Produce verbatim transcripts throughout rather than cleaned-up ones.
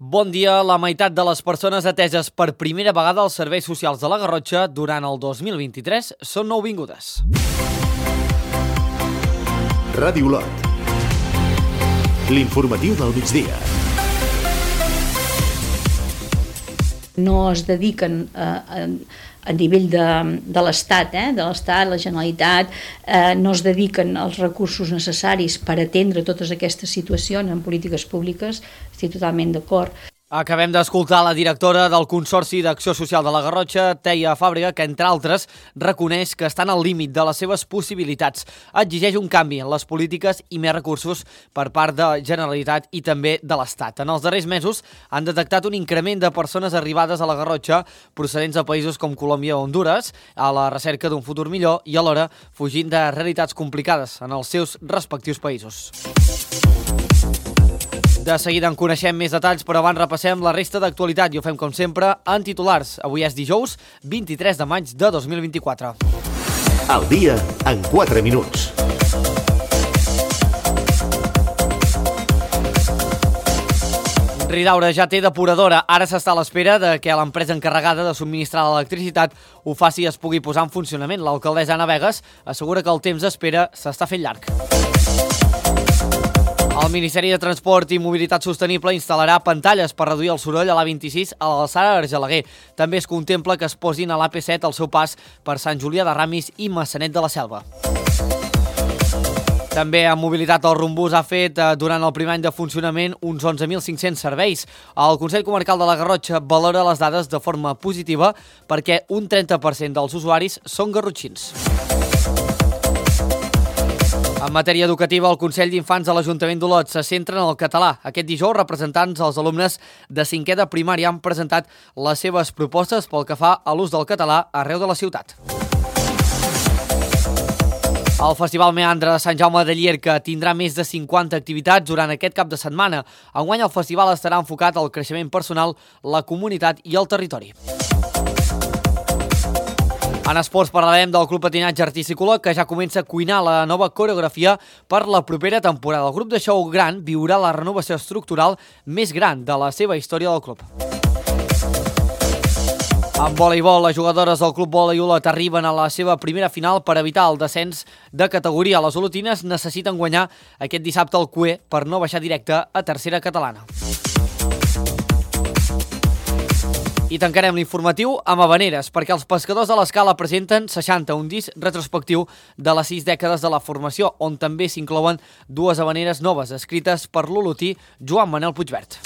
Bon dia. La meitat de les persones ateses per primera vegada als serveis socials de la Garrotxa durant el dos mil vint-i-tres són nouvingudes. Ràdio Olot. L'informatiu del migdia. No es dediquen a, a, a nivell de, de l'Estat, eh? de l'Estat, la Generalitat, eh, no es dediquen els recursos necessaris per atendre totes aquestes situacions en polítiques públiques. Estic totalment d'acord. Acabem d'escoltar la directora del Consorci d'Acció Social de la Garrotxa, Teia Fàbrega, que, entre altres, reconeix que estan al límit de les seves possibilitats. Exigeix un canvi en les polítiques i més recursos per part de Generalitat i també de l'Estat. En els darrers mesos han detectat un increment de persones arribades a la Garrotxa procedents de països com Colòmbia o Hondures, a la recerca d'un futur millor i alhora fugint de realitats complicades en els seus respectius països. De seguida en coneixem més detalls, però abans repassem la resta d'actualitat i ho fem, com sempre, en titulars. Avui és dijous, vint-i-tres de maig de dos mil vint-i-quatre. El dia en quatre minuts. Ridaura ja té depuradora. Ara s'està a l'espera de que l'empresa encarregada de subministrar l'electricitat ho faci i es pugui posar en funcionament. L'alcaldessa Anna Vegas assegura que el temps d'espera s'està fent llarg. El Ministeri de Transport i Mobilitat Sostenible instal·larà pantalles per reduir el soroll a l'A vint-i-sis a l'alçada d'Argelaguer. També es contempla que es posin a l'A P set al seu pas per Sant Julià de Ramis i Maçanet de la Selva. També en mobilitat el Rumbús ha fet durant el primer any de funcionament uns onze mil cinc-cents serveis. El Consell Comarcal de la Garrotxa valora les dades de forma positiva perquè un trenta per cent dels usuaris són garrotxins. En matèria educativa, el Consell d'Infants de l'Ajuntament d'Olot se centra en el català. Aquest dijous, representants dels alumnes de cinquè de primària han presentat les seves propostes pel que fa a l'ús del català arreu de la ciutat. El Festival Meandre de Sant Jaume de Llierca tindrà més de cinquanta activitats durant aquest cap de setmana. Enguany el festival estarà enfocat al creixement personal, la comunitat i el territori. En esports parlarem del Club Patinatge Artístic, que ja comença a cuinar la nova coreografia per la propera temporada. El grup de show gran viurà la renovació estructural més gran de la seva història del club. En voleibol, les jugadores del Club Vòlei Olot arriben a la seva primera final per evitar el descens de categoria. Les olotines necessiten guanyar aquest dissabte al Cué per no baixar directe a tercera catalana. I tancarem l'informatiu amb Havaneres, perquè els pescadors de l'Escala presenten seixanta, un disc retrospectiu de les sis dècades de la formació, on també s'inclouen dues havaneres noves, escrites per l'olotí Joan Manel Puigvert.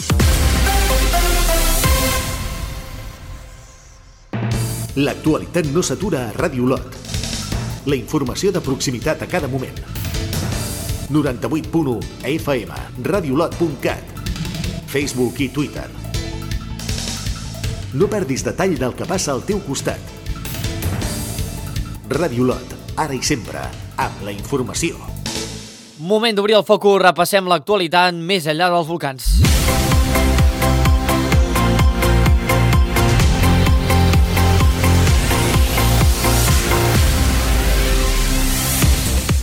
L'actualitat no s'atura a Ràdio Olot. La informació de proximitat a cada moment. noranta-vuit punt u F M, radiolot punt cat, Facebook i Twitter. No perdis detall del que passa al teu costat. Ràdio Olot, ara i sempre, amb la informació. Moment d'obrir el focus, repassem l'actualitat més enllà dels volcans.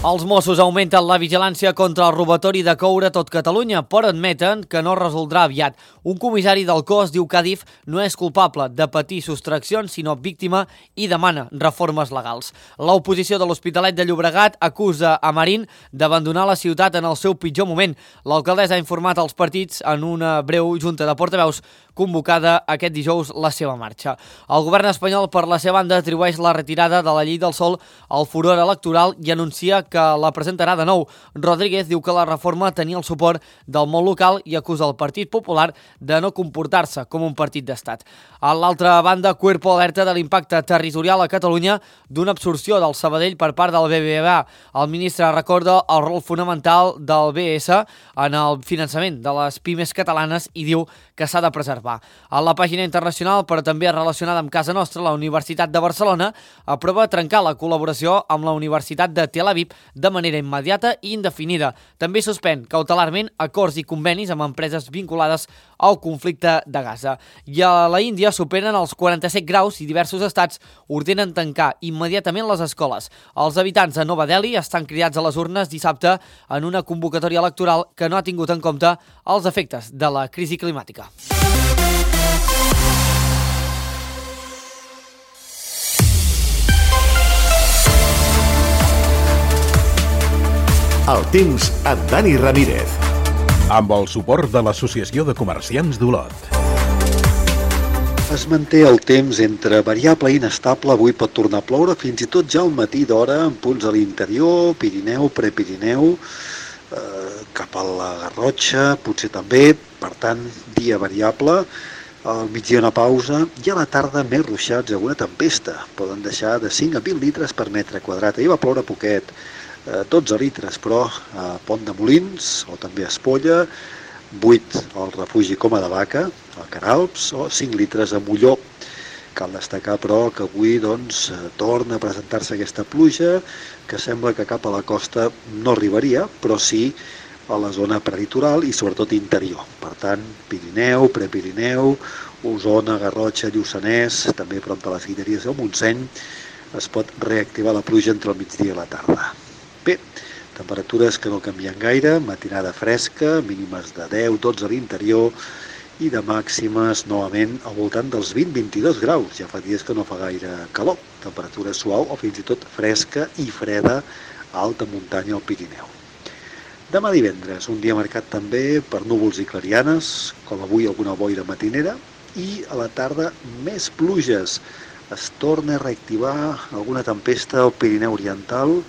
Els Mossos augmenten la vigilància contra el robatori de coure a tot Catalunya, però admeten que no resoldrà aviat. Un comissari del cos diu que Adif no és culpable de patir sostraccions, sinó víctima, i demana reformes legals. L'oposició de l'Hospitalet de Llobregat acusa a Marín d'abandonar la ciutat en el seu pitjor moment. L'alcaldessa ha informat als partits en una breu junta de portaveus convocada aquest dijous la seva marxa. El govern espanyol, per la seva banda, atribueix la retirada de la llei del sòl al furor electoral i anuncia que la presentarà de nou. Rodríguez diu que la reforma tenia el suport del món local i acusa el Partit Popular de no comportar-se com un partit d'estat. A l'altra banda, Cuerpo alerta de l'impacte territorial a Catalunya d'una absorció del Sabadell per part del B B V A. El ministre recorda el rol fonamental del B S en el finançament de les pimes catalanes i diu que s'ha de preservar. A la pàgina internacional, però també relacionada amb casa nostra, la Universitat de Barcelona aprova trencar la col·laboració amb la Universitat de Tel Aviv de manera immediata i indefinida. També suspèn cautelarment acords i convenis amb empreses vinculades al conflicte de Gaza. I a la Índia superen els quaranta-set graus i diversos estats ordenen tancar immediatament les escoles. Els habitants de Nova Delhi estan cridats a les urnes dissabte en una convocatòria electoral que no ha tingut en compte els efectes de la crisi climàtica. El temps amb Dani Ramírez. Amb el suport de l'Associació de Comerciants d'Olot. Es manté el temps entre variable i inestable. Avui pot tornar a ploure fins i tot ja al matí d'hora en punts a l'interior, Pirineu, Prepirineu, eh, cap a la Garrotxa, potser també. Per tant, dia variable. Al migdia una pausa i a la tarda més ruixats i alguna tempesta. Poden deixar de cinc a vint litres per metre quadrat. Ahir va ploure poquet, dotze litres, però a Pont de Molins o també a Espolla, vuit al refugi Coma de Vaca, a Queralbs, o cinc litres a Molló. Cal destacar, però, que avui doncs, torna a presentar-se aquesta pluja, que sembla que cap a la costa no arribaria, però sí a la zona prelitoral i sobretot interior. Per tant, Pirineu, Prepirineu, Osona, Garrotxa, Lluçanès, també prop de les Guilleries del Montseny, es pot reactivar la pluja entre el migdia i la tarda. Bé, temperatures que no canvien gaire, matinada fresca, mínimes de deu dotze a l'interior i de màximes novament al voltant dels vint a vint-i-dos graus. Ja fa dies que no fa gaire calor, temperatura suau o fins i tot fresca i freda a alta muntanya al Pirineu. Demà divendres, un dia marcat també per núvols i clarianes, com avui alguna boira matinera, i a la tarda més pluges. Es torna a reactivar alguna tempesta al Pirineu Oriental.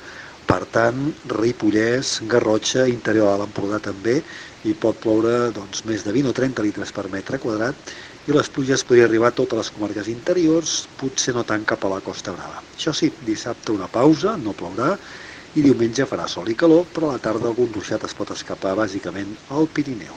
Per tant, Ripollès, Garrotxa, interior de l'Empordà també, i pot ploure doncs, més de vint o trenta litres per metre quadrat, i les pluges podrien arribar a totes les comarques interiors, potser no tant cap a la Costa Brava. Això sí, dissabte una pausa, no plourà, i diumenge farà sol i calor, però a la tarda algun ruixat es pot escapar bàsicament al Pirineu.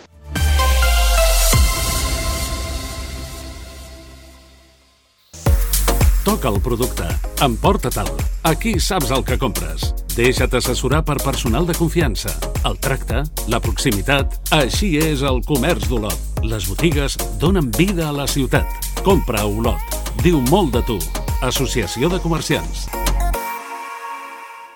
Toca el producte. Emporta-te'l. Aquí saps el que compres. Deixa't assessorar per personal de confiança. El tracte, la proximitat... Així és el comerç d'Olot. Les botigues donen vida a la ciutat. Compra a Olot. Diu molt de tu. Associació de Comerciants.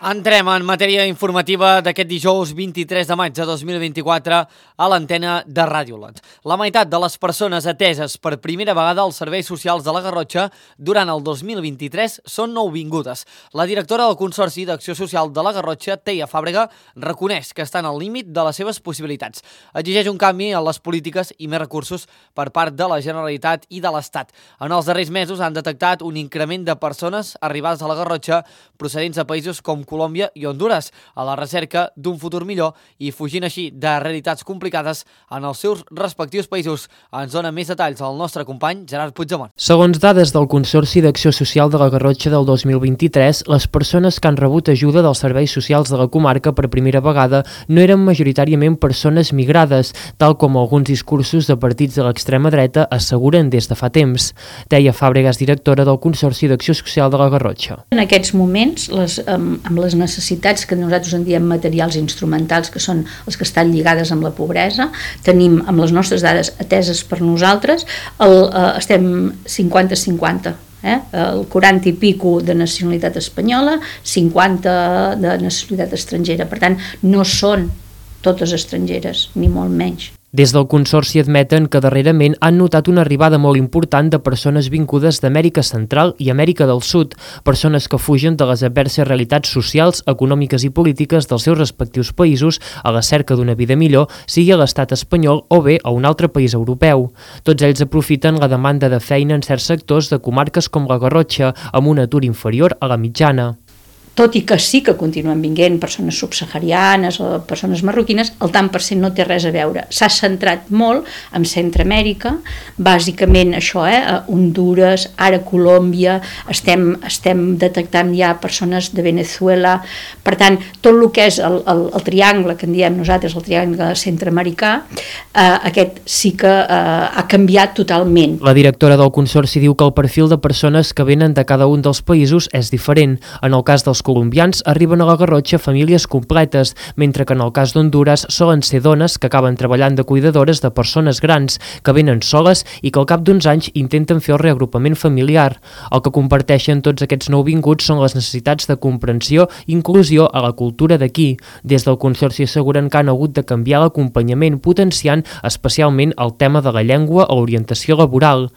Entrem en matèria informativa d'aquest dijous vint-i-tres de maig de dos mil vint-i-quatre a l'antena de Ràdio Olot. La meitat de les persones ateses per primera vegada als serveis socials de la Garrotxa durant el dos mil vint-i-tres són nouvingudes. La directora del Consorci d'Acció Social de la Garrotxa, Teia Fàbrega, reconeix que estan al límit de les seves possibilitats. Exigeix un canvi en les polítiques i més recursos per part de la Generalitat i de l'Estat. En els darrers mesos han detectat un increment de persones arribades a la Garrotxa procedents de països com Colòmbia i Hondures, a la recerca d'un futur millor i fugint així de realitats complicades en els seus respectius països. Ens dona més detalls el nostre company Gerard Puigdemont. Segons dades del Consorci d'Acció Social de la Garrotxa del dos mil vint-i-tres, les persones que han rebut ajuda dels serveis socials de la comarca per primera vegada no eren majoritàriament persones migrades, tal com alguns discursos de partits de l'extrema dreta asseguren des de fa temps. Teia Fàbrega és directora del Consorci d'Acció Social de la Garrotxa. En aquests moments, les, amb, amb les necessitats que nosaltres en diem materials instrumentals, que són les que estan lligades amb la pobresa, tenim amb les nostres dades ateses per nosaltres, el, eh, estem cinquanta cinquanta. Eh? El quaranta i pico de nacionalitat espanyola, cinquanta de nacionalitat estrangera. Per tant, no són totes estrangeres, ni molt menys. Des del Consorci admeten que darrerament han notat una arribada molt important de persones vingudes d'Amèrica Central i Amèrica del Sud, persones que fugen de les adverses realitats socials, econòmiques i polítiques dels seus respectius països a la cerca d'una vida millor, sigui a l'estat espanyol o bé a un altre país europeu. Tots ells aprofiten la demanda de feina en certs sectors de comarques com la Garrotxa, amb un atur inferior a la mitjana. Tot i que sí que continuen vinguent persones subsaharianes o persones marroquines, el tant per cent no té res a veure. S'ha centrat molt en Centroamèrica, bàsicament això, eh, Hondures, ara Colòmbia, estem, estem detectant ja persones de Venezuela. Per tant, tot el que és el, el, el triangle, que en diem nosaltres, el triangle centroamericà, eh, aquest sí que eh, ha canviat totalment. La directora del Consorci diu que el perfil de persones que venen de cada un dels països és diferent. En el cas dels dels colombians arriben a la Garrotxa famílies completes, mentre que en el cas d'Honduras solen ser dones que acaben treballant de cuidadores de persones grans, que venen soles i que al cap d'uns anys intenten fer el reagrupament familiar. El que comparteixen tots aquests nouvinguts són les necessitats de comprensió i inclusió a la cultura d'aquí. Des del Consorci asseguren que han hagut de canviar l'acompanyament, potenciant especialment el tema de la llengua o l'orientació laboral.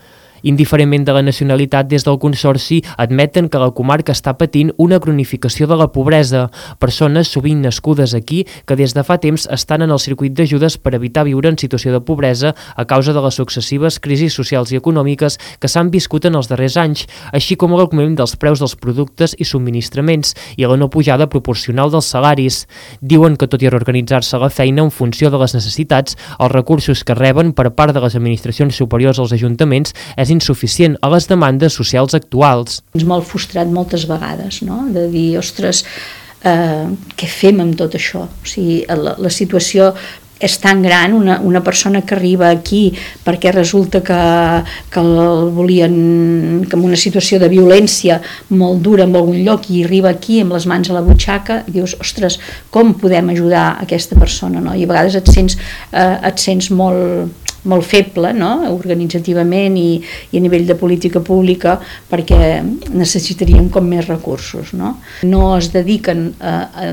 Indiferentment de la nacionalitat, des del Consorci admeten que la comarca està patint una cronificació de la pobresa. Persones sovint nascudes aquí que des de fa temps estan en el circuit d'ajudes per evitar viure en situació de pobresa a causa de les successives crisis socials i econòmiques que s'han viscut en els darrers anys, així com l'augment dels preus dels productes i subministraments i la no pujada proporcional dels salaris. Diuen que tot i reorganitzar-se la feina en funció de les necessitats, els recursos que reben per part de les administracions superiors als ajuntaments és insuficient a les demandes socials actuals. Ens molt frustrat moltes vegades, no? De dir, ostres, eh, què fem amb tot això? O sigui, la, la situació és tan gran, una, una persona que arriba aquí perquè resulta que, que el volien que en una situació de violència molt dura en algun lloc i arriba aquí amb les mans a la butxaca i dius, ostres, com podem ajudar aquesta persona? No? I a vegades et sents, eh, et sents molt, molt feble, no? Organitzativament i, i a nivell de política pública, perquè necessitaríem com més recursos. No, no es dediquen a, a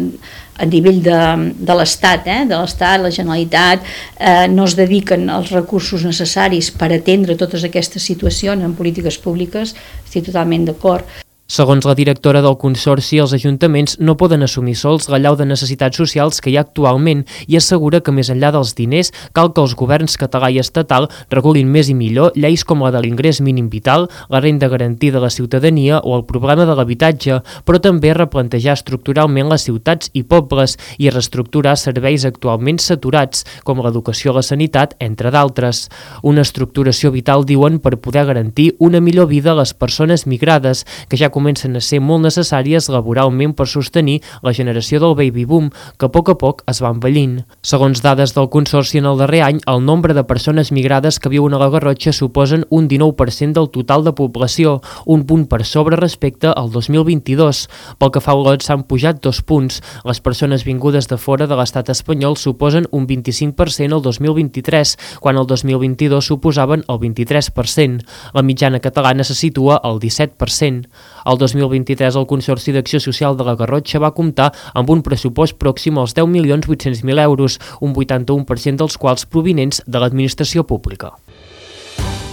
a nivell de, de l'Estat, eh? de l'Estat, la Generalitat, eh, no es dediquen els recursos necessaris per atendre totes aquestes situacions en polítiques públiques, estic totalment d'acord. Segons la directora del Consorci, els ajuntaments no poden assumir sols l'allau de necessitats socials que hi ha actualment i assegura que més enllà dels diners cal que els governs català i estatal regulin més i millor lleis com la de l'ingrés mínim vital, la renda garantida de la ciutadania o el problema de l'habitatge, però també replantejar estructuralment les ciutats i pobles i reestructurar serveis actualment saturats, com l'educació o la sanitat, entre d'altres. Una estructuració vital, diuen, per poder garantir una millor vida a les persones migrades, que ja comencen a ser molt necessàries laboralment per sostenir la generació del baby boom, que a poc a poc es va envellint. Segons dades del Consorci, en el darrer any, el nombre de persones migrades que viuen a la Garrotxa suposen un dinou per cent del total de població, un punt per sobre respecte al dos mil vint-i-dos. Pel que fa a lots, s'han pujat dos punts. Les persones vingudes de fora de l'estat espanyol suposen un vint-i-cinc per cent el dos mil vint-i-tres, quan el dos mil vint-i-dos suposaven el vint-i-tres per cent. La mitjana catalana se situa al disset per cent. El dos mil vint-i-tres el Consorci d'Acció Social de la Garrotxa va comptar amb un pressupost pròxim als deu milions vuit-cents mil euros, un vuitanta-u per cent dels quals provinents de l'administració pública.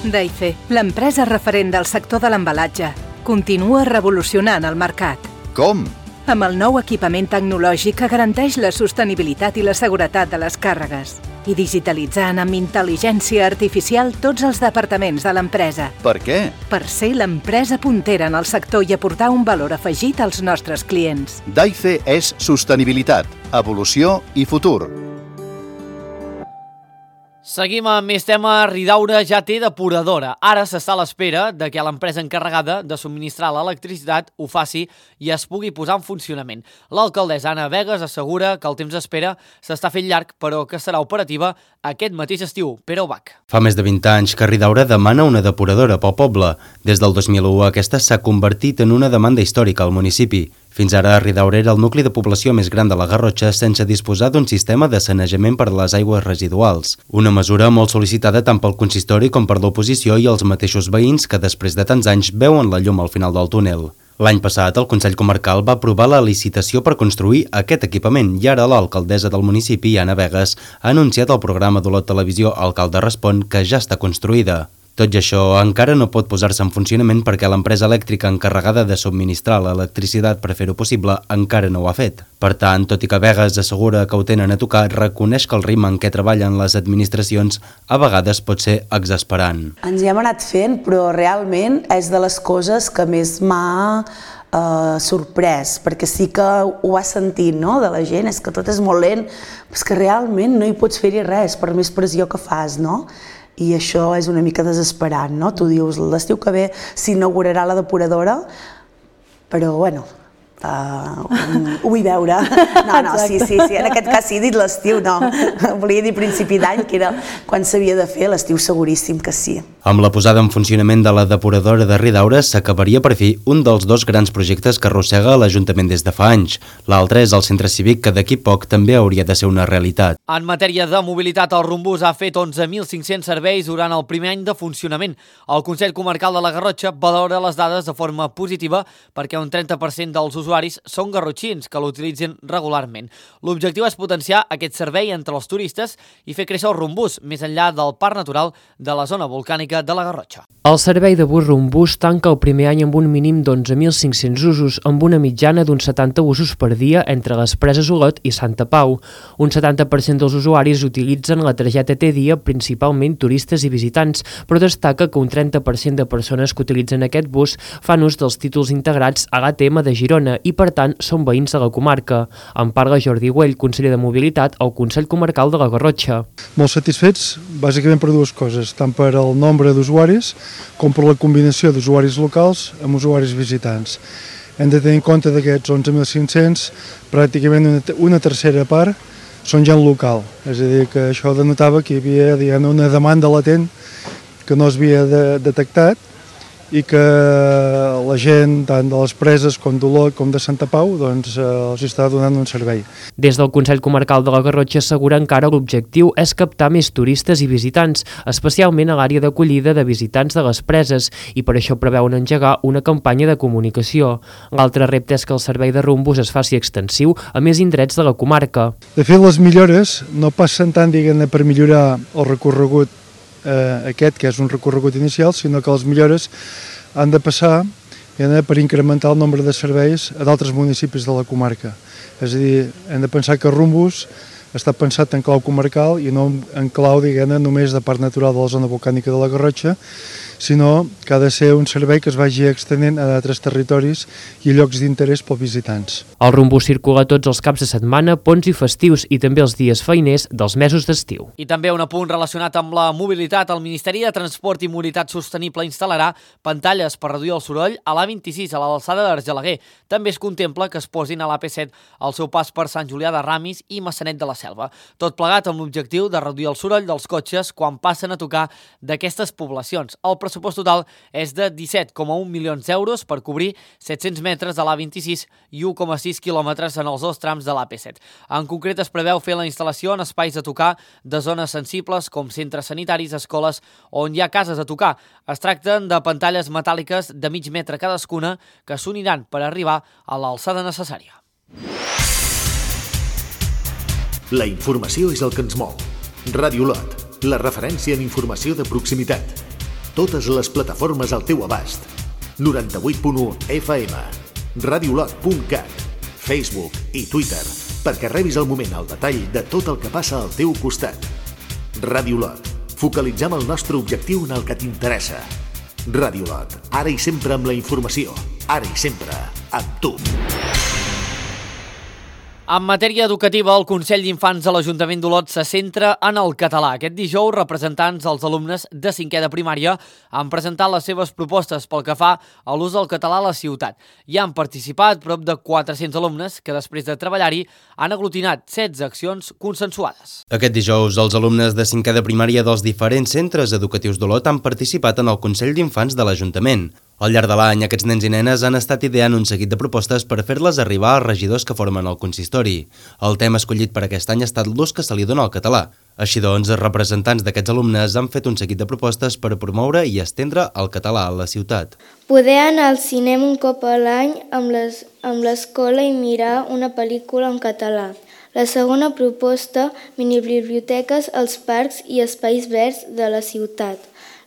Daife, l'empresa referent del sector de l'embalatge, continua revolucionant el mercat. Com? Amb el nou equipament tecnològic que garanteix la sostenibilitat i la seguretat de les càrregues i digitalitzant amb intel·ligència artificial tots els departaments de l'empresa. Per què? Per ser l'empresa puntera en el sector i aportar un valor afegit als nostres clients. Daife és sostenibilitat, evolució i futur. Seguim amb més tema. Ridaura ja té depuradora. Ara s'està a l'espera de que l'empresa encarregada de subministrar l'electricitat ho faci i es pugui posar en funcionament. L'alcaldessa Anna Vegas assegura que el temps d'espera s'està fent llarg, però que serà operativa aquest mateix estiu. Pere Ubach. Fa més de vint anys que Ridaura demana una depuradora pel poble. Des del dos mil u aquesta s'ha convertit en una demanda històrica al municipi. Fins ara, Ridaura era el nucli de població més gran de la Garrotxa sense disposar d'un sistema de sanejament per a les aigües residuals. Una mesura molt sol·licitada tant pel consistori com per l'oposició i els mateixos veïns que després de tants anys veuen la llum al final del túnel. L'any passat, el Consell Comarcal va aprovar la licitació per construir aquest equipament i ara l'alcaldessa del municipi, Anna Vegas, ha anunciat al programa d'Olot Televisió Alcalde Respon que ja està construïda. Tot i això, encara no pot posar-se en funcionament perquè l'empresa elèctrica encarregada de subministrar l'electricitat per fer-ho possible encara no ho ha fet. Per tant, tot i que Vegas assegura que ho tenen a tocar, reconeix que el ritme en què treballen les administracions a vegades pot ser exasperant. Ens hi hem anat fent, però realment és de les coses que més m'ha Uh, sorprès, perquè sí que ho has sentit, no?, de la gent, és que tot és molt lent, però és que realment no hi pots fer-hi res, per més pressió que fas, no? I això és una mica desesperant, no? Tu dius, l'estiu que ve s'inaugurarà la depuradora, però bueno, Uh, ho vull veure. No, no, sí, sí, sí, en aquest cas sí, he dit l'estiu, no. Volia dir principi d'any, que era quan s'havia de fer, l'estiu seguríssim que sí. Amb la posada en funcionament de la depuradora de Ridaura s'acabaria per fi un dels dos grans projectes que arrossega l'Ajuntament des de fa anys. L'altre és el centre cívic, que d'aquí poc també hauria de ser una realitat. En matèria de mobilitat, el Rumbús ha fet onze mil cinc-cents serveis durant el primer any de funcionament. El Consell Comarcal de la Garrotxa valora les dades de forma positiva perquè un trenta per cent dels usuaris són garrotxins que l'utilitzen regularment. L'objectiu és potenciar aquest servei entre els turistes i fer créixer el Rumbús més enllà del parc natural de la zona volcànica de la Garrotxa. El servei de bus Rumbús tanca el primer any amb un mínim d'onze mil cinc-cents usos, amb una mitjana d'uns setanta usos per dia entre les Preses Olot i Santa Pau. Un setanta per cent dels usuaris utilitzen la targeta T dia, principalment turistes i visitants, però destaca que un trenta per cent de persones que utilitzen aquest bus fan ús dels títols integrats a l'A T M de Girona i, per tant, són veïns de la comarca. En parla Jordi Güell, conseller de Mobilitat al Consell Comarcal de la Garrotxa. Molt satisfets, bàsicament per dues coses, tant per el nombre d'usuaris com per la combinació d'usuaris locals amb usuaris visitants. Hem de tenir en compte d'aquests onze mil cinc-cents, pràcticament una, una tercera part són gent local, és a dir, que això denotava que hi havia, diguem, una demanda latent que no es havia de, detectat i que la gent, tant de les Preses com d'Olot com de Santa Pau, doncs eh, els està donant un servei. Des del Consell Comarcal de la Garrotxa asseguren que ara l'objectiu és captar més turistes i visitants, especialment a l'àrea d'acollida de visitants de les Preses, i per això preveuen engegar una campanya de comunicació. L'altre repte és que el servei de Rumbús es faci extensiu a més indrets de la comarca. De fet, les millores no passen tant, diguem-ne, per millorar el recorregut Eh, aquest, que és un recorregut inicial, sinó que les millores han de passar eh, per incrementar el nombre de serveis a d'altres municipis de la comarca. És a dir, hem de pensar que Rumbús està pensat en clau comarcal i no en clau, diguem-ne, només de parc natural de la zona volcànica de la Garrotxa, sinó que ha de ser un servei que es vagi extenent a d'altres territoris i llocs d'interès pels visitants. El Rumbús circula tots els caps de setmana, ponts i festius i també els dies feiners dels mesos d'estiu. I també un apunt relacionat amb la mobilitat. El Ministeri de Transport i Mobilitat Sostenible instal·larà pantalles per reduir el soroll a l'A vint-i-sis a l'alçada d'Argelaguer. També es contempla que es posin a l'A P set al seu pas per Sant Julià de Ramis i Massanet de la Selva. Tot plegat amb l'objectiu de reduir el soroll dels cotxes quan passen a tocar d'aquestes poblacions. El pressupost total és de disset coma un milions d'euros per cobrir set-cents metres de l'A vint-i-sis i u coma sis quilòmetres en els dos trams de l'A P set. En concret, es preveu fer la instal·lació en espais a tocar de zones sensibles com centres sanitaris, escoles on hi ha cases a tocar. Es tracten de pantalles metàl·liques de mig metre cadascuna que s'uniran per arribar a l'alçada necessària. La informació és el que ens mou. Ràdio Olot, la referència en informació de proximitat. Totes les plataformes al teu abast. noranta-vuit punt u F M, radiolot punt cat, Facebook i Twitter, perquè rebis al moment el detall de tot el que passa al teu costat. Ràdio Olot, focalitzem el nostre objectiu en el que t'interessa. Ràdio Olot, ara i sempre amb la informació, ara i sempre amb tu. En matèria educativa, el Consell d'Infants de l'Ajuntament d'Olot se centra en el català. Aquest dijous, representants dels alumnes de cinquè de primària han presentat les seves propostes pel que fa a l'ús del català a la ciutat. Hi han participat prop de quatre-cents alumnes que, després de treballar-hi, han aglutinat setze accions consensuades. Aquest dijous, els alumnes de cinquè de primària dels diferents centres educatius d'Olot han participat en el Consell d'Infants de l'Ajuntament. Al llarg de l'any, aquests nens i nenes han estat ideant un seguit de propostes per fer-les arribar als regidors que formen el consistori. El tema escollit per aquest any ha estat l'ús que se li dona al català. Així doncs, els representants d'aquests alumnes han fet un seguit de propostes per promoure i estendre el català a la ciutat. Poder anar al cinema un cop a l'any amb les, amb l'escola i mirar una pel·lícula en català. La segona proposta, minibiblioteques als parcs i espais verds de la ciutat.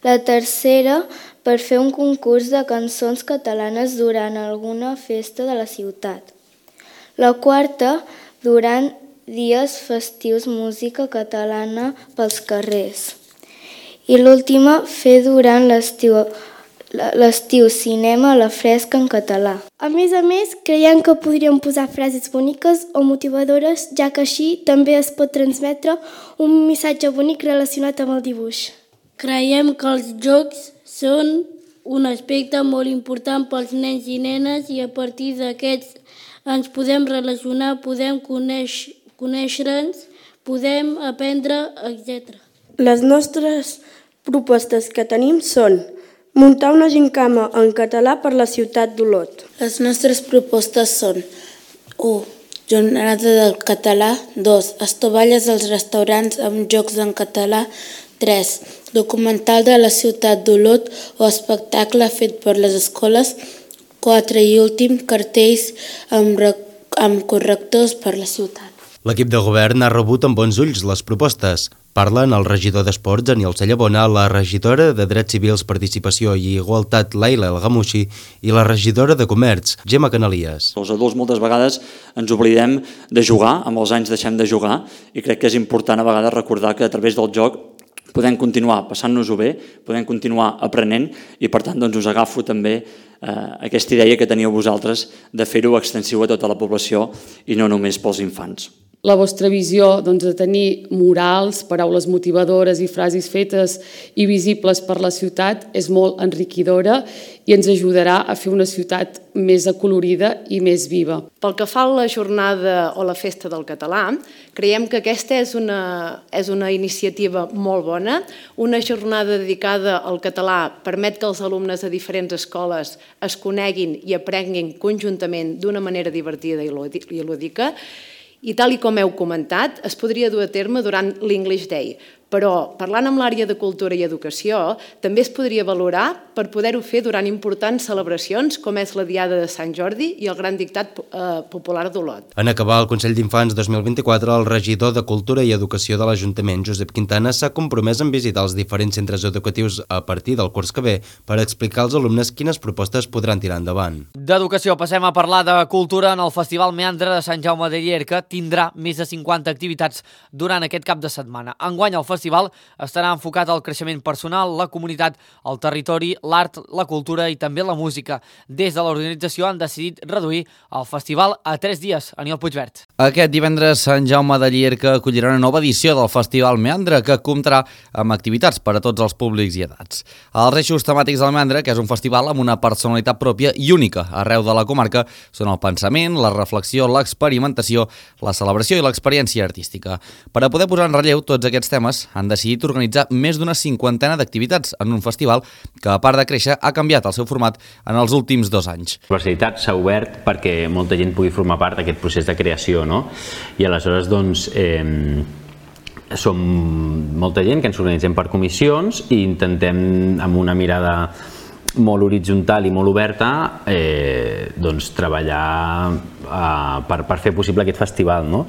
La tercera, per fer un concurs de cançons catalanes durant alguna festa de la ciutat. La quarta, durant dies festius música catalana pels carrers. I l'última, fer durant l'estiu l'estiu cinema a la fresca en català. A més a més, creiem que podríem posar frases boniques o motivadores, ja que així també es pot transmetre un missatge bonic relacionat amb el dibuix. Creiem que els jocs són un aspecte molt important pels nens i nenes i a partir d'aquests ens podem relacionar, podem conèixer, conèixer-nos, podem aprendre, etcètera. Les nostres propostes que tenim són muntar una gincama en català per la ciutat d'Olot. Les nostres propostes són u. Jornada del català, dos. Estovalles als restaurants amb jocs en català, tres. Documental de la ciutat d'Olot o espectacle fet per les escoles, quatre. I últim, cartells amb, amb correctors per la ciutat. L'equip de govern ha rebut amb bons ulls les propostes. Parlen el regidor d'Esports, Daniel Cellabona, la regidora de Drets Civils, Participació i Igualtat, Laila El Gamushi, i la regidora de Comerç, Gemma Canalies. Els adults moltes vegades ens oblidem de jugar, amb els anys deixem de jugar, i crec que és important a vegades recordar que a través del joc podem continuar passant-nos-ho bé, podem continuar aprenent, i per tant doncs, us agafo també eh, aquesta idea que teníeu vosaltres de fer-ho extensiu a tota la població i no només pels infants. La vostra visió doncs, de tenir murals, paraules motivadores i frases fetes i visibles per la ciutat és molt enriquidora i ens ajudarà a fer una ciutat més acolorida i més viva. Pel que fa a la jornada o la festa del català, creiem que aquesta és una, és una iniciativa molt bona. Una jornada dedicada al català permet que els alumnes de diferents escoles es coneguin i aprenguin conjuntament d'una manera divertida i lúdica. I tal i com heu comentat, es podria dur a terme durant l'English Day, però parlant amb l'àrea de Cultura i Educació, també es podria valorar per poder-ho fer durant importants celebracions com és la Diada de Sant Jordi i el Gran Dictat eh, Popular d'Olot. En acabar el Consell d'Infants dos mil vint-i-quatre, el regidor de Cultura i Educació de l'Ajuntament, Josep Quintana, s'ha compromès en visitar els diferents centres educatius a partir del curs que ve per explicar als alumnes quines propostes podran tirar endavant. D'educació passem a parlar de cultura. En el Festival Meandre de Sant Jaume de Llierca tindrà més de cinquanta activitats durant aquest cap de setmana. Enguany el festival estarà enfocat al creixement personal, la comunitat, el territori, l'art, la cultura i també la música. Des de l'organització han decidit reduir el festival a tres dies. Aniol Puigvert. Aquest divendres Sant Jaume de Llierca acollirà una nova edició del Festival Meandre que comptarà amb activitats per a tots els públics i edats. Els eixos temàtics del Meandre, que és un festival amb una personalitat pròpia i única arreu de la comarca, són el pensament, la reflexió, l'experimentació, la celebració i l'experiència artística. Per a poder posar en relleu tots aquests temes, han decidit organitzar més d'una cinquantena d'activitats en un festival que, a part de créixer, ha canviat el seu format en els últims dos anys. La universitat s'ha obert perquè molta gent pugui formar part d'aquest procés de creació, no? I aleshores, doncs, eh, som molta gent que ens organitzem per comissions i intentem, amb una mirada molt horitzontal i molt oberta, eh, doncs, treballar eh, per, per fer possible aquest festival, no?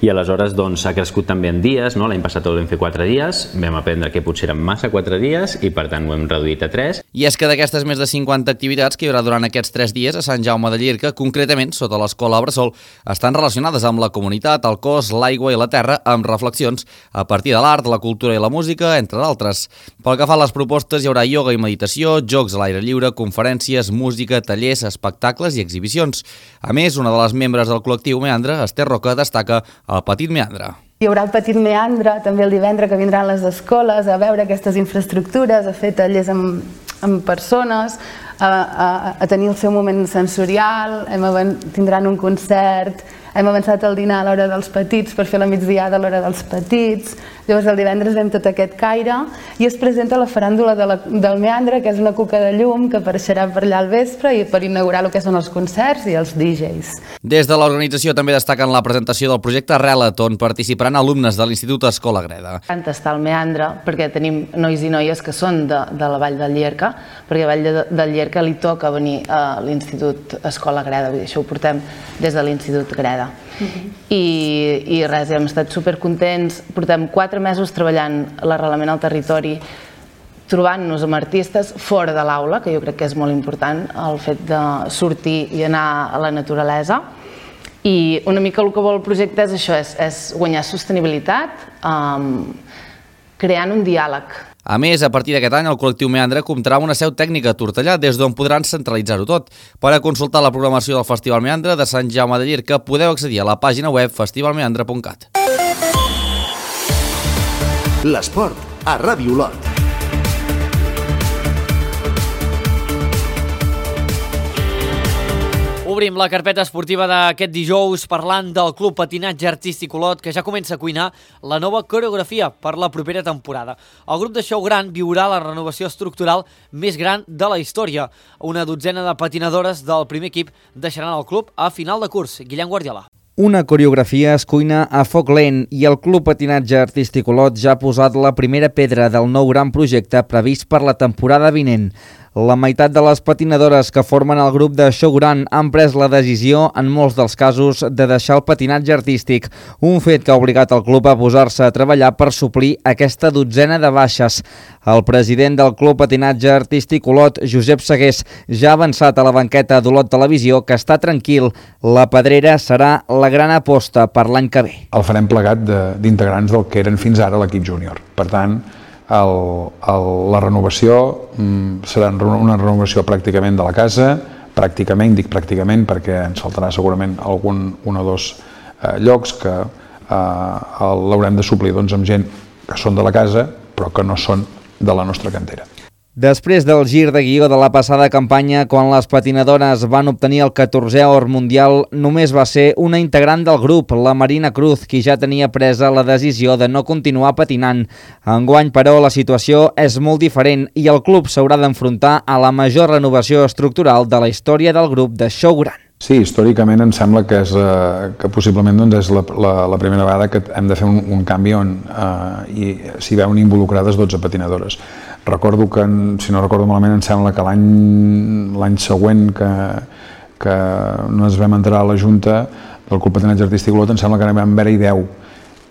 I aleshores doncs, ha crescut també en dies, no? L'any passat el vam fer quatre dies, vam aprendre que potser eren massa quatre dies i per tant ho hem reduït a tres. I és que d'aquestes més de cinquanta activitats que hi haurà durant aquests tres dies a Sant Jaume de Llierca, concretament sota l'escola Bressol, estan relacionades amb la comunitat, el cos, l'aigua i la terra, amb reflexions a partir de l'art, la cultura i la música, entre d'altres. Pel que fa a les propostes, hi haurà ioga i meditació, jocs a l'aire lliure, conferències, música, tallers, espectacles i exhibicions. A més, una de les membres del col·lectiu Meandre, Esther Roca, destaca el Petit Meandre. Hi haurà el Petit Meandre, també el divendres que vindran les escoles a veure aquestes infraestructures, a fer tallers amb, amb persones, a, a, a tenir el seu moment sensorial, hem, tindran un concert, hem avançat el dinar a l'hora dels petits per fer la migdiada a l'hora dels petits. Llavors el divendres vam tot aquest caire i es presenta la faràndula de la, del Meandre, que és una cuca de llum que apareixerà per allà al vespre i per inaugurar el que són els concerts i els D Js. Des de l'organització també destaquen la presentació del projecte Relat, on participaran alumnes de l'Institut Escola Greda. Encanta estar al Meandre perquè tenim nois i noies que són de, de la Vall del Llierca, perquè a Vall de, del Llierca li toca venir a l'Institut Escola Greda, vull dir, això ho portem des de l'Institut Greda. Uh-huh. I, i res, hem estat supercontents, portem quatre mesos treballant l'arrelament al territori, trobant-nos amb artistes fora de l'aula, que jo crec que és molt important, el fet de sortir i anar a la naturalesa. I una mica el que vol el projecte és això, és, és guanyar sostenibilitat, um, creant un diàleg. A més, a partir d'aquest any, el col·lectiu Meandre comptarà amb una seu tècnica a Tortellà, des d'on podran centralitzar-ho tot. Per a consultar la programació del Festival Meandre de Sant Jaume de Llierca, podeu accedir a la pàgina web festival meandre punt cat. L'esport a Ràdio Olot. Obrim la carpeta esportiva d'aquest dijous parlant del Club Patinatge Artístic Olot, que ja comença a cuinar la nova coreografia per la propera temporada. El grup de Show Gran viurà la renovació estructural més gran de la història. Una dotzena de patinadores del primer equip deixaran el club a final de curs. Guillem Guardiola. Una coreografia es cuina a foc lent i el Club Patinatge Artístic Olot ja ha posat la primera pedra del nou gran projecte previst per la temporada vinent. La meitat de les patinadores que formen el grup de Show Gran han pres la decisió, en molts dels casos, de deixar el patinatge artístic, un fet que ha obligat el club a posar-se a treballar per suplir aquesta dotzena de baixes. El president del Club Patinatge Artístic Olot, Josep Segués, ja ha avançat a la banqueta d'Olot Televisió que està tranquil. La pedrera serà la gran aposta per l'any que ve. El farem plegat d'integrants del que eren fins ara l'equip júnior. Per tant, El, el, la renovació mm, serà una renovació pràcticament de la casa, pràcticament, dic pràcticament perquè ens faltarà segurament algun un o dos eh, llocs que eh, l'haurem de suplir doncs, amb gent que són de la casa però que no són de la nostra cantera. Després del gir de guió de la passada campanya, quan les patinadores van obtenir el catorzè or mundial, només va ser una integrant del grup, la Marina Cruz, qui ja tenia presa la decisió de no continuar patinant. Enguany, però, la situació és molt diferent i el club s'haurà d'enfrontar a la major renovació estructural de la història del grup de Show Gran. Sí, històricament em sembla que, és, eh, que possiblement doncs, és la, la, la primera vegada que hem de fer un, un canvi on eh, s'hi veuen involucrades dotze patinadores. Recordo que, si no recordo malament, em sembla que l'any següent que, que no ens vam entrar a la Junta del Club Patinatge Artístic Olot, em sembla que vam haver-hi deu,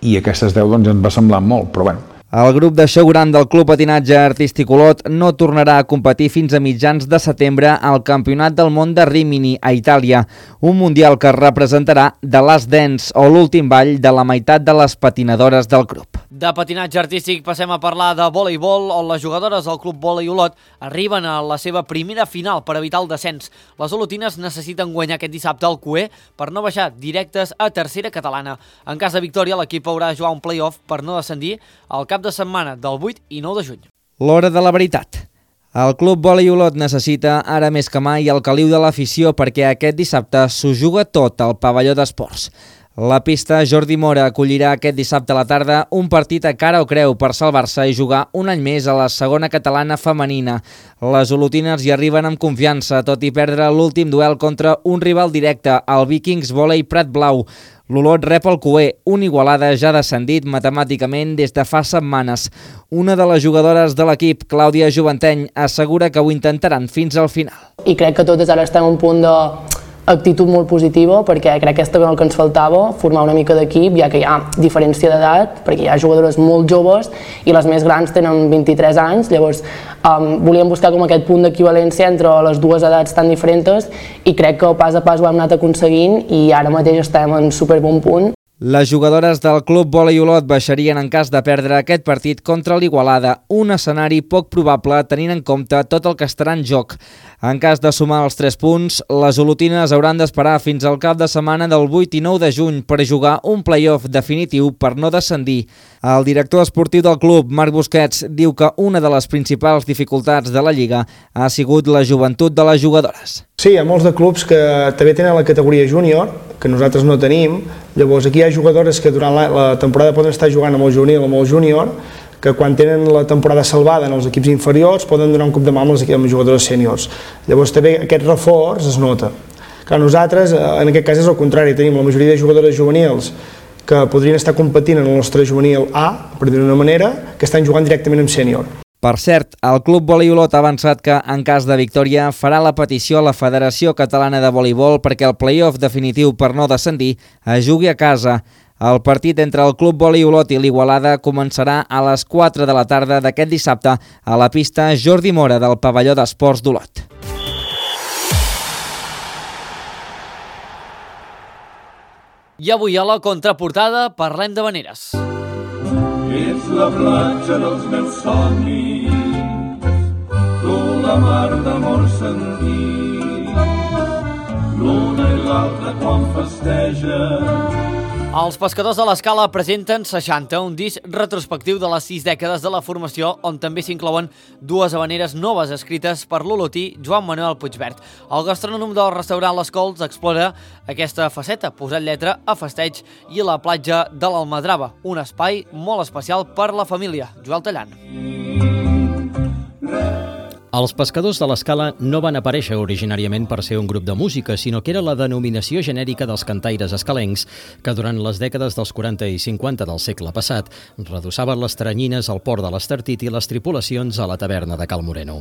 i aquestes deu doncs, ens va semblar molt, però bueno. El grup de Show Gran del Club Patinatge Artístic Olot no tornarà a competir fins a mitjans de setembre al Campionat del Món de Rimini, a Itàlia, un mundial que representarà The Last Dance, o l'últim ball de la meitat de les patinadores del grup. De patinatge artístic passem a parlar de voleibol, on les jugadores del Club Volei Olot arriben a la seva primera final per evitar el descens. Les olotines necessiten guanyar aquest dissabte al Cué per no baixar directes a tercera catalana. En cas de victòria, l'equip haurà de jugar un play-off per no descendir al cap de setmana del vuit i nou de juny. L'hora de la veritat. El Club Volei Olot necessita ara més que mai el caliu de l'afició perquè aquest dissabte s'ho juga tot al pavelló d'esports. La pista Jordi Mora acollirà aquest dissabte a la tarda un partit a cara o creu per salvar-se i jugar un any més a la segona catalana femenina. Les olotines hi arriben amb confiança, tot i perdre l'últim duel contra un rival directe, el Vikings Volei Prat Blau. L'Olot rep el Cué, un Igualada ja descendit matemàticament des de fa setmanes. Una de les jugadores de l'equip, Clàudia Joventeny, assegura que ho intentaran fins al final. I crec que totes ara estem a un punt de actitud molt positiva, perquè crec que és també el que ens faltava, formar una mica d'equip, ja que hi ha diferència d'edat, perquè hi ha jugadores molt joves i les més grans tenen vint-i-tres anys, llavors um, volíem buscar com aquest punt d'equivalència entre les dues edats tan diferents i crec que pas a pas ho hem anat aconseguint i ara mateix estem en superbon punt. Les jugadores del Club Volei Olot baixarien en cas de perdre aquest partit contra l'Igualada, un escenari poc probable tenint en compte tot el que estarà en joc. En cas de sumar els tres punts, les olotines hauran d'esperar fins al cap de setmana del vuit i nou de juny per jugar un play-off definitiu per no descendir. El director esportiu del club, Marc Busquets, diu que una de les principals dificultats de la Lliga ha sigut la joventut de les jugadores. Sí, hi ha molts de clubs que també tenen la categoria júnior, que nosaltres no tenim. Llavors aquí hi ha jugadores que durant la, la temporada poden estar jugant amb el juvenil o amb el júnior, que quan tenen la temporada salvada en els equips inferiors poden donar un cop de mà amb els, amb els jugadors sèniors. Llavors també aquest reforç es nota. Clar, nosaltres, en aquest cas és el contrari, tenim la majoria de jugadores juvenils que podrien estar competint en el nostre juvenil A, per dir-ho d'una manera, que estan jugant directament amb sènior. Per cert, el Club Volei Olot ha avançat que, en cas de victòria, farà la petició a la Federació Catalana de Voleibol perquè el play-off definitiu per no descendir es jugui a casa. El partit entre el Club Volei Olot i l'Igualada començarà a les quatre de la tarda d'aquest dissabte a la pista Jordi Mora del pavelló d'esports d'Olot. I avui a la contraportada parlem d'havaneres. Ets la platja dels meus somnis, tu la mar d'amor sentit, l'una i l'altra quan festeja, Els pescadors de l'Escala presenten seixanta, un disc retrospectiu de les sis dècades de la formació, on també s'inclouen dues habaneres noves escrites per l'olotí Joan Manuel Puigvert. El gastrònom del restaurant Les Cols explora aquesta faceta, posant lletra a festeig i a la platja de l'Almadrava, un espai molt especial per la família. Joel Tallant. Els pescadors de l'Escala no van aparèixer originàriament per ser un grup de música, sinó que era la denominació genèrica dels cantaires escalencs que durant les dècades dels quaranta i cinquanta del segle passat redossaven les teranyines al port de l'Estartit i les tripulacions a la taverna de Cal Moreno.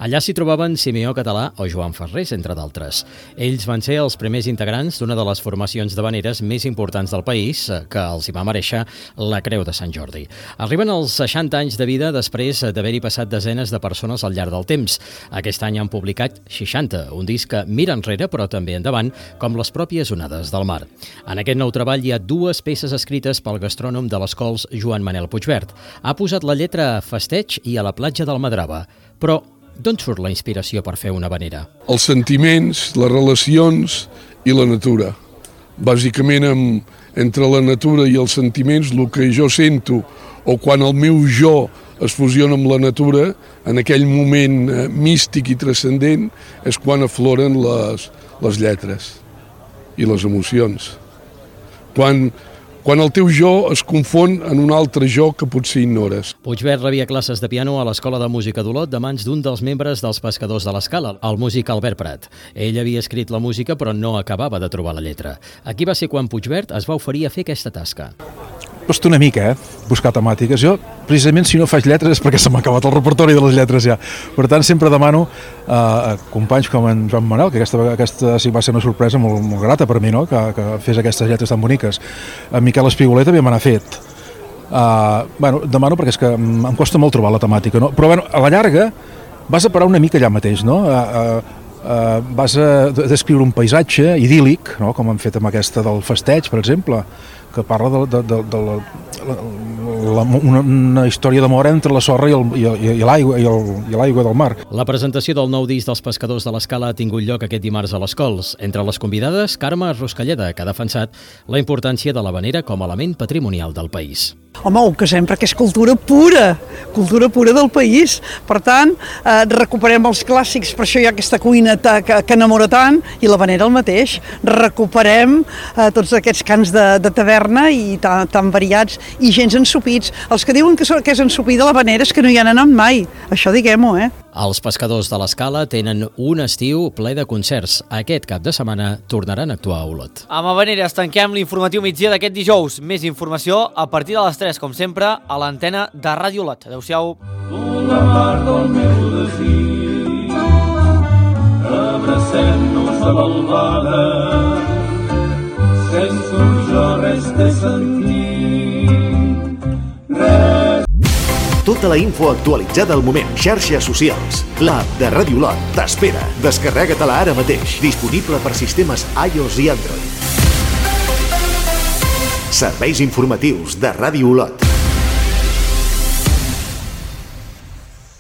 Allà s'hi trobaven Simeó Català o Joan Ferrés, entre d'altres. Ells van ser els primers integrants d'una de les formacions d'habaneres més importants del país, que els hi va mereixer la Creu de Sant Jordi. Arriben als seixanta anys de vida després d'haver-hi passat desenes de persones al llarg del temps. Aquest any han publicat seixanta, un disc que mira enrere però també endavant, com les pròpies onades del mar. En aquest nou treball hi ha dues peces escrites pel gastrònom de les Cols Joan Manel Puigvert. Ha posat la lletra a festeig i a la platja del Madrava. Però d'on surt la inspiració per fer una habanera? Els sentiments, les relacions i la natura. Bàsicament amb, entre la natura i els sentiments, el que jo sento o quan el meu jo es fusiona amb la natura, en aquell moment eh, místic i transcendent, és quan afloren les, les lletres i les emocions. Quan, quan el teu jo es confon en un altre jo que potser ignores. Puigvert rebia classes de piano a l'Escola de Música d'Olot de mans d'un dels membres dels pescadors de l'Escala, el músic Albert Prat. Ell havia escrit la música però no acabava de trobar la lletra. Aquí va ser quan Puigvert es va oferir a fer aquesta tasca. Costa una mica, eh? Buscar temàtiques. Jo, precisament, si no faig lletres és perquè se m'ha acabat el repertori de les lletres ja. Per tant, sempre demano uh, a companys com en Joan Manel, que aquesta, aquesta sí va ser una sorpresa molt, molt grata per mi, no? que, que fes aquestes lletres tan boniques. En Miquel Espigoler també me n'ha fet. Uh, bueno, demano perquè és que em costa molt trobar la temàtica, no? Però bueno, a la llarga vas a parar una mica allà mateix, no? Uh, uh, uh, vas a descriure un paisatge idíl·lic, no? Com hem fet amb aquesta del festeig, per exemple, que parla de, de, de, de la, la, una, una història d'amor entre la sorra i, el, i, i l'aigua i, el, i l'aigua del mar. La presentació del nou disc dels pescadors de l'Escala ha tingut lloc aquest dimarts a les Cols. Entre les convidades, Carme Ruscalleda, que ha defensat la importància de l'habanera com a element patrimonial del país. Home, ho casem perquè és cultura pura, cultura pura del país. Per tant, eh, recuperem els clàssics, per això hi ha aquesta cuina que, que enamora tant, i l'habanera el mateix. Recuperem eh, tots aquests cants de, de taverna i tan, tan variats, i gens ensopits. Els que diuen que, que és ensopida l'habanera és que no hi han anat mai, això diguem-ho, eh? Els pescadors de l'Escala tenen un estiu ple de concerts. Aquest cap de setmana tornaran a actuar a Olot. Amb habaneres tanquem l'informatiu migdia d'aquest dijous. Més informació a partir de les tres, com sempre, a l'antena de Ràdio Olot. Adéu-siau. La mar del meu desig, abracem-nos a l'albada, sense un jo res té sentit, res. Tota la info actualitzada al moment. Xarxes socials. L'app de Ràdio Olot t'espera. Descarrega-te-la ara mateix. Disponible per sistemes iOS i Android. Serveis informatius de Ràdio Olot.